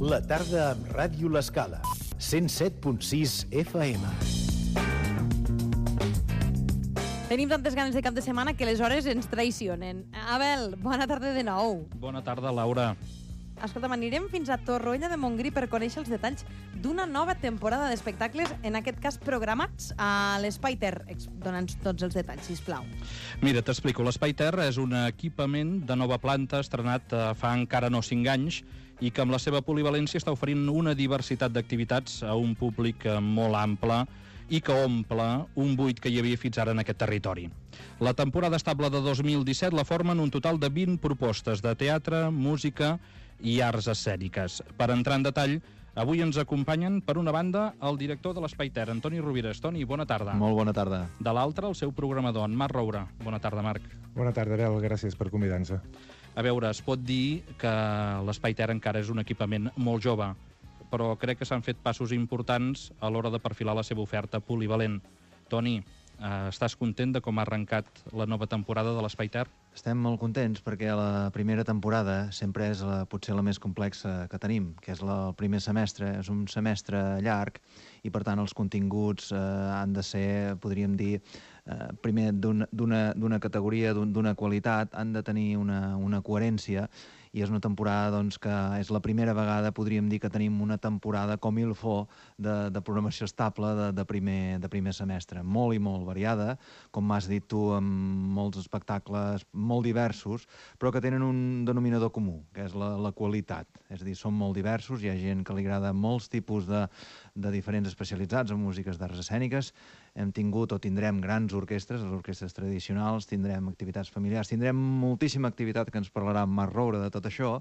La tarda amb Ràdio L'Escala. 107.6 FM. Tenim tantes ganes de cap de setmana que les hores ens traicionen. Abel, bona tarda de nou. Bona tarda, Laura. Escolta'm, anirem fins a Torroella de Montgrí per conèixer els detalls d'una nova temporada d'espectacles, en aquest cas programats a l'Espai Ter. Dona'ns tots els detalls, sisplau. Mira, t'explico. L'Espai Ter és un equipament de nova planta estrenat fa encara no 5 anys i que amb la seva polivalència està oferint una diversitat d'activitats a un públic molt ample i que omple un buit que hi havia fins ara en aquest territori. La temporada estable de 2017 la formen un total de 20 propostes de teatre, música i arts escèniques. Per entrar en detall, avui ens acompanyen, per una banda, el director de l'Espai Ter, Antoni Rovires. Toni, bona tarda. Molt bona tarda. De l'altra, el seu programador, en Marc Roura. Bona tarda, Marc. Bona tarda, Abel. Gràcies per convidar-nos. A veure, es pot dir que l'Espai Ter encara és un equipament molt jove, però crec que s'han fet passos importants a l'hora de perfilar la seva oferta polivalent. Toni, estàs content de com ha arrencat la nova temporada de l'Espai Ter? Estem molt contents perquè la primera temporada sempre és potser la més complexa que tenim, que és el primer semestre. És un semestre llarg i, per tant, els continguts han de ser, podríem dir, primer d'una categoria, d'una qualitat, han de tenir una coherència, i és una temporada doncs, que és la primera vegada, podríem dir, que tenim una temporada com il faut de programació estable de primer semestre. Molt i molt variada, com m'has dit tu, amb molts espectacles molt diversos, però que tenen un denominador comú, que és la qualitat. És a dir, són molt diversos, hi ha gent que li agrada molts tipus de diferents especialitzats en músiques d'arts escèniques. Hem tingut o tindrem grans orquestres, les orquestres tradicionals, tindrem activitats familiars, tindrem moltíssima activitat que ens parlarà Marc Roura de tot això,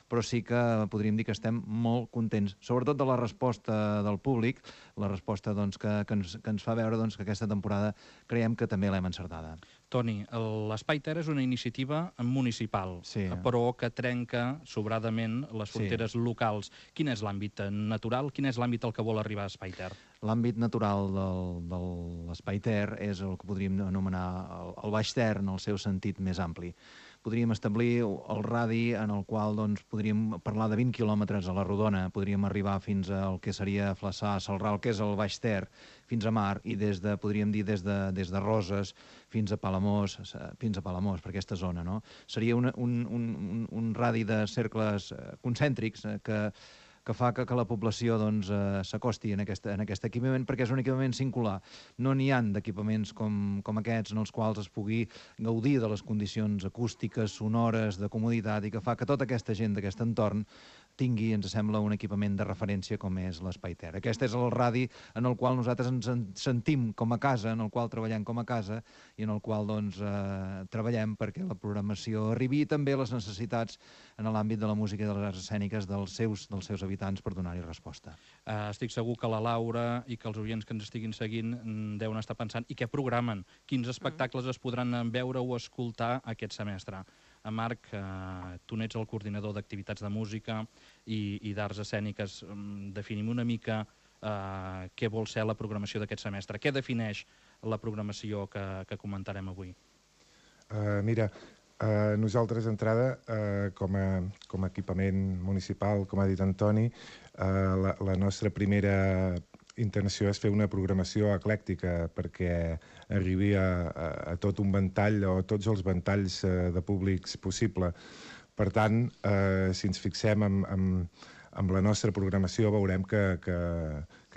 però sí que podríem dir que estem molt contents, sobretot de la resposta del públic, la resposta doncs, que ens fa veure doncs, que aquesta temporada creiem que també l'hem encertada. Toni, l'Espai Ter és una iniciativa municipal, sí, però que trenca sobradament les fronteres locals. Quin és l'àmbit natural? Quin és l'àmbit al que vol arribar Espai Ter? L'àmbit natural de l'Espai Ter és el que podríem anomenar el Baix Ter en el seu sentit més ampli. Podríem establir el radi en el qual doncs, podríem parlar de 20 quilòmetres a la rodona, podríem arribar fins al que seria Flaçà, Celrà, que és el Baix Ter, fins a Mar, i podríem dir des de Roses fins a Palamós, per aquesta zona. No? Seria un radi de cercles concèntrics que fa que la població doncs, s'acosti en aquest equipament, perquè és un equipament singular. No n'hi ha d'equipaments com aquests en els quals es pugui gaudir de les condicions acústiques, sonores, de comoditat, i que fa que tota aquesta gent d'aquest entorn tingui, ens sembla, un equipament de referència com és l'Espai Ter. Aquest és el radi en el qual nosaltres ens sentim com a casa, en el qual treballem com a casa i en el qual doncs, treballem perquè la programació arribi i també les necessitats en l'àmbit de la música i de les arts escèniques dels seus habitants per donar-hi resposta. Estic segur que la Laura i que els oients que ens estiguin seguint deuen estar pensant i què programen, quins espectacles es podran veure o escoltar aquest semestre. Marc, tu n'ets el coordinador d'activitats de música i d'arts escèniques. Definim una mica què vol ser la programació d'aquest semestre. Què defineix la programació que comentarem avui? Mira, nosaltres d'entrada, com a equipament municipal, com ha dit Antoni, la nostra primera intenció és fer una programació eclèctica perquè arribi a tot un ventall o a tots els ventalls de públics possible. Per tant, si ens fixem amb la nostra programació veurem que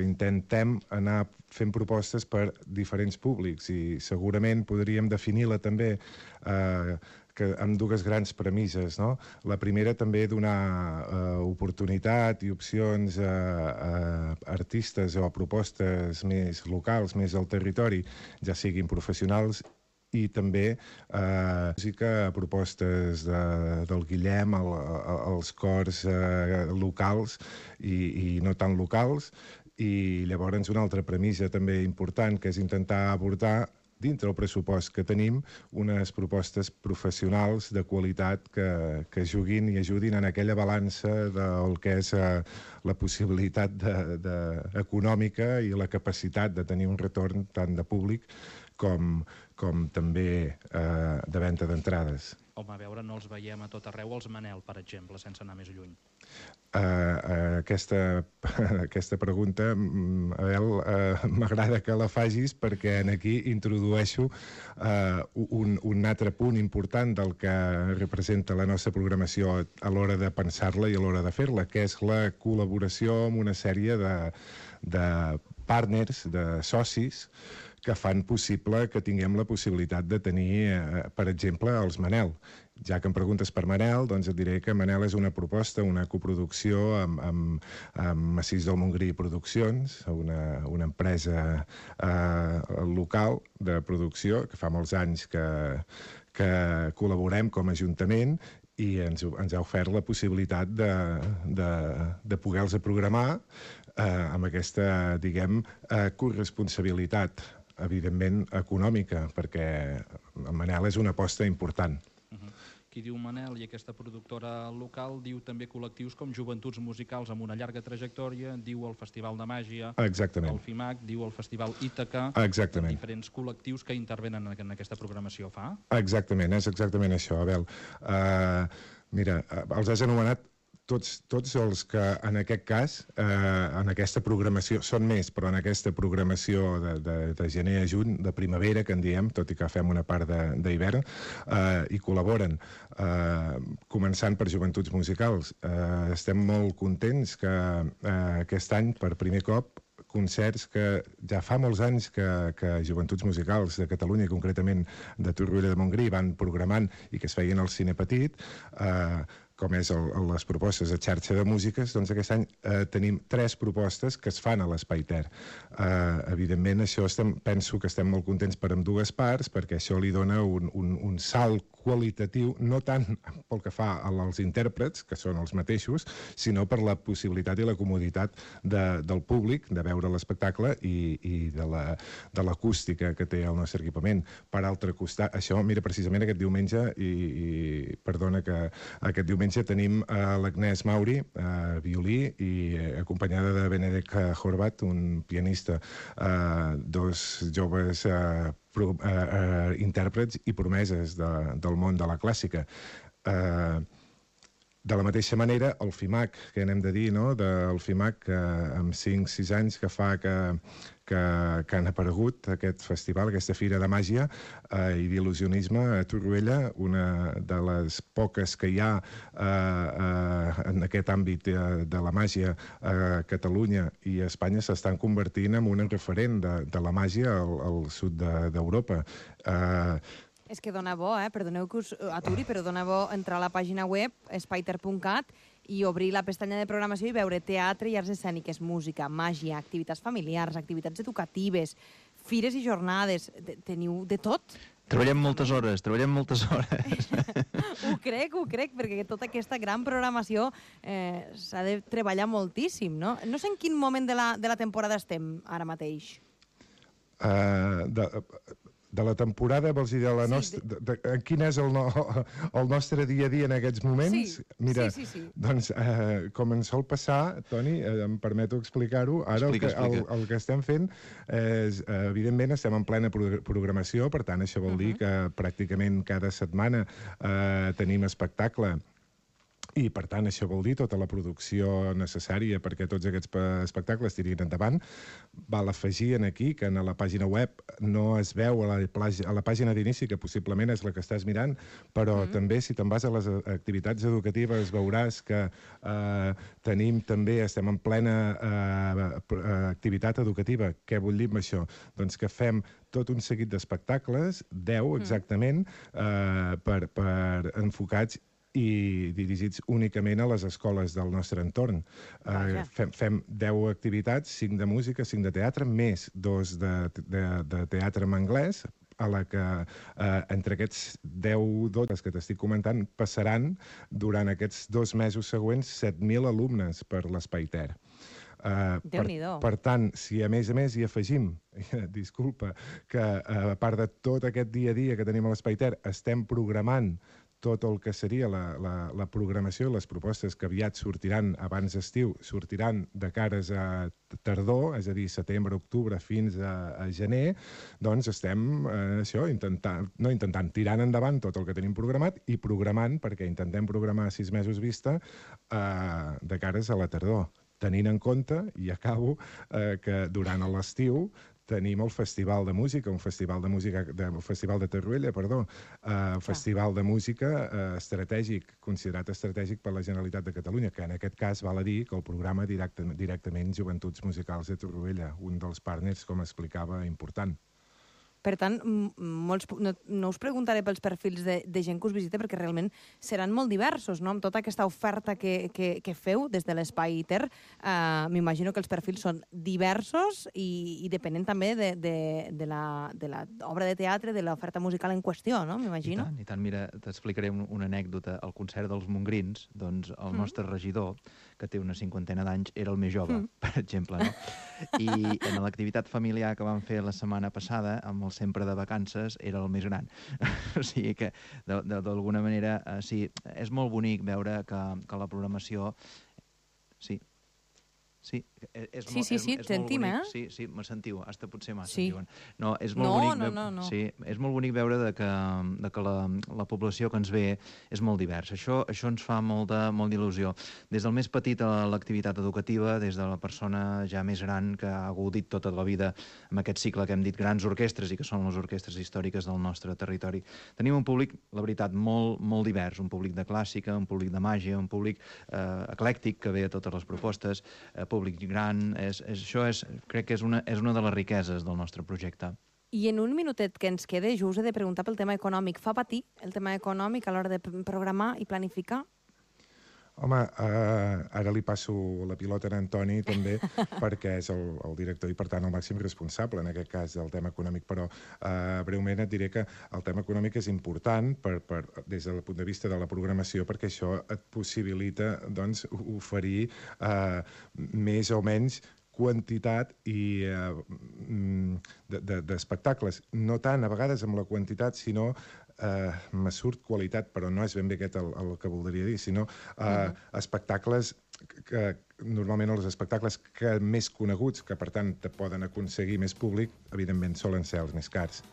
intentem anar fent propostes per diferents públics i segurament podríem definir-la també amb dues grans premisses. No? La primera també donar oportunitat i opcions a artistes o a propostes més locals, més al territori, ja siguin professionals i també música, propostes del Guillem, els cors locals i no tan locals. I llavors una altra premissa també important, que és intentar abordar dintre el pressupost que tenim unes propostes professionals de qualitat que juguin i ajudin en aquella balança del que és la possibilitat econòmica i la capacitat de tenir un retorn tant de públic com també de venda d'entrades. Home, a veure, no els veiem a tot arreu, els Manel, per exemple, sense anar més lluny. Aquesta pregunta, Abel, m'agrada que la facis perquè aquí introdueixo un altre punt important del que representa la nostra programació a l'hora de pensar-la i a l'hora de fer-la, que és la col·laboració amb una sèrie de partners, de socis, que fan possible que tinguem la possibilitat de tenir, per exemple, els Manel. Ja que em preguntes per Manel, doncs et diré que Manel és una proposta, una coproducció amb Massís del Montgrí Produccions, una empresa local de producció que fa molts anys que col·laborem com a Ajuntament i ens ha ofert la possibilitat de poder-los programar amb aquesta, diguem, corresponsabilitat, evidentment econòmica, perquè Manel és una aposta important. Qui diu Manel i aquesta productora local diu també col·lectius com Joventuts Musicals amb una llarga trajectòria, diu el Festival de Màgia, el FIMAC, diu el Festival Ítaca, diferents col·lectius que intervenen en aquesta programació, fa? Exactament, és exactament això, Abel. Mira, els has anomenat tots els que en aquest cas, en aquesta programació, són més, però en aquesta programació de gener a juny, de primavera, que en diem, tot i que fem una part d'hivern, hi col·laboren. Començant per Joventuts Musicals. Estem molt contents que aquest any, per primer cop, concerts que ja fa molts anys que Joventuts Musicals de Catalunya, concretament de Torroella de Montgrí, van programant i que es feien al Cine Petit, com és les propostes de xarxa de músiques, doncs aquest any tenim 3 propostes que es fan a l'Espai Ter. Evidentment, això penso que estem molt contents per ambdues parts, perquè això li dona un salt qualitatiu, no tant pel que fa als intèrprets, que són els mateixos, sinó per la possibilitat i la comoditat del públic de veure l'espectacle i de l'acústica que té el nostre equipament. Per altre costat, això, mira, precisament aquest diumenge, i perdona que aquest diumenge tenim l'Agnès Mauri, violí, i acompanyada de Benedek Horvat, un pianista, 2 joves intèrprets i promeses del món de la clàssica. De la mateixa manera, el FIMAC, que n'hem de dir, no? Del FIMAC, amb 5-6 anys que fa que han aparegut aquest festival, aquesta fira de màgia i d'il·lusionisme a Torroella, una de les poques que hi ha en aquest àmbit de la màgia a Catalunya i a Espanya, s'estan convertint en un referent de la màgia al sud d'Europa. És que dona bo, perdoneu que us aturi, però dona bo entrar a la pàgina web espaiter.cat i obrir la pestanya de programació i veure teatre i arts escèniques, música, màgia, activitats familiars, activitats educatives, fires i jornades. Teniu de tot? Treballem moltes hores. Ho crec, perquè tota aquesta gran programació s'ha de treballar moltíssim, no? No sé en quin moment de la temporada estem ara mateix. De la temporada, vols dir, quin és el nostre dia a dia en aquests moments? Sí, mira, sí. Doncs, com ens sol passar, Toni, em permeto explicar-ho, ara el que estem fent és, evidentment, estem en plena programació, per tant, això vol dir que pràcticament cada setmana tenim espectacle. I, per tant, això vol dir tota la producció necessària perquè tots aquests espectacles tirin endavant. Val afegir aquí que a la pàgina web no es veu a la pàgina d'inici, que possiblement és la que estàs mirant, però també, si te'n vas a les activitats educatives, veuràs que estem en plena activitat educativa. Què vull dir amb això? Doncs que fem tot un seguit d'espectacles, 10 exactament, enfocats i dirigits únicament a les escoles del nostre entorn. Fem 10 activitats, 5 de música, 5 de teatre, més 2 de teatre en anglès, a la que entre aquests 10 que t'estic comentant passaran durant aquests 2 mesos següents 7.000 alumnes per l'Espai Ter. Per tant, si a més hi afegim, disculpa, que a part de tot aquest dia a dia que tenim a l'Espai Ter, estem programant tot el que seria la programació, les propostes que aviat sortiran abans d'estiu, sortiran de cares a tardor, és a dir, setembre, octubre, fins a gener, doncs estem tirant endavant tot el que tenim programat i programant, perquè intentem programar a 6 mesos vista de cares a la tardor, tenint en compte, i acabo, que durant l'estiu tenim el Festival de Música, un festival de Torroella, festival de música estratègic, considerat estratègic per la Generalitat de Catalunya, que en aquest cas val a dir que el programa directament Joventuts Musicals de Torroella, un dels partners, com explicava, important. Per tant, no us preguntaré pels perfils de gent que us visita, perquè realment seran molt diversos, no? Amb tota aquesta oferta que feu des de l'Espai ITER, m'imagino que els perfils són diversos i depenent també de l'obra de teatre, de l'oferta musical en qüestió, no? M'imagino. I tant. Mira, t'explicaré una anècdota. Al concert dels Montgrins, doncs el nostre regidor, que té una 50ena d'anys, era el més jove, per exemple, no? I en l'activitat familiar que vam fer la setmana passada, amb el Sempre de Vacances, era el més gran. O sigui que, d'alguna manera, sí, és molt bonic veure que la programació... Sí, et sentim, eh? Sí, me sentiu, hasta potser massa, diuen. No, és molt bonic. No. Sí, és molt bonic veure que la població que ens ve és molt diversa. Això ens fa molt d'il·lusió. Des del més petit a l'activitat educativa, des de la persona ja més gran que ha gaudit tota la vida amb aquest cicle que hem dit grans orquestres i que són les orquestres històriques del nostre territori. Tenim un públic, la veritat, molt divers, un públic de clàssica, un públic de màgia, un públic eclèctic que ve a totes les propostes, públic gran, crec que és una de les riqueses del nostre projecte. I en un minutet que ens queda, jo us he de preguntar pel tema econòmic. Fa patir el tema econòmic a l'hora de programar i planificar? Home, ara li passo la pilota a Antoni, també, perquè és el director i, per tant, el màxim responsable, en aquest cas, del tema econòmic. Però, breument, et diré que el tema econòmic és important des del punt de vista de la programació, perquè això et possibilita oferir més o menys quantitat d'espectacles. No tant, a vegades, amb la quantitat, sinó me surt qualitat, però no és ben bé aquest el que voldria dir, sinó espectacles que normalment els espectacles més coneguts, que per tant te poden aconseguir més públic, evidentment solen ser els més cars.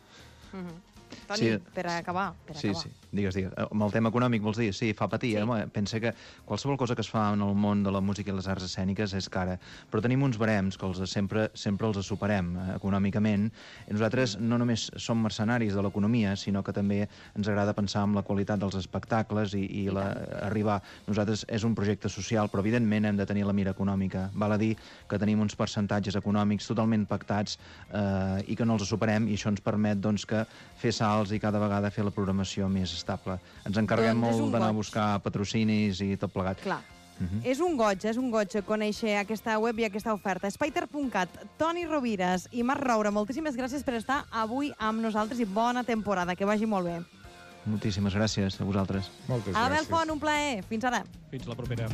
Toni, per acabar. Sí, digues. Amb el tema econòmic vols dir? Sí, fa patir. Pensa que qualsevol cosa que es fa en el món de la música i les arts escèniques és cara, però tenim uns barems que sempre els superem econòmicament. I nosaltres no només som mercenaris de l'economia, sinó que també ens agrada pensar en la qualitat dels espectacles i arribar. Nosaltres és un projecte social, però evidentment hem de tenir la mira econòmica. Val a dir que tenim uns percentatges econòmics totalment pactats i que no els superem, i això ens permet que fer salts i cada vegada fer la programació més estable. Ens encarreguem molt d'anar a buscar patrocinis i tot plegat. Clar. És un goig conèixer aquesta web i aquesta oferta. Spider.cat, Toni Rovires i Marc Roura, moltíssimes gràcies per estar avui amb nosaltres i bona temporada, que vagi molt bé. Moltíssimes gràcies a vosaltres. Moltes gràcies. Abel Font, un plaer. Fins ara. Fins la propera.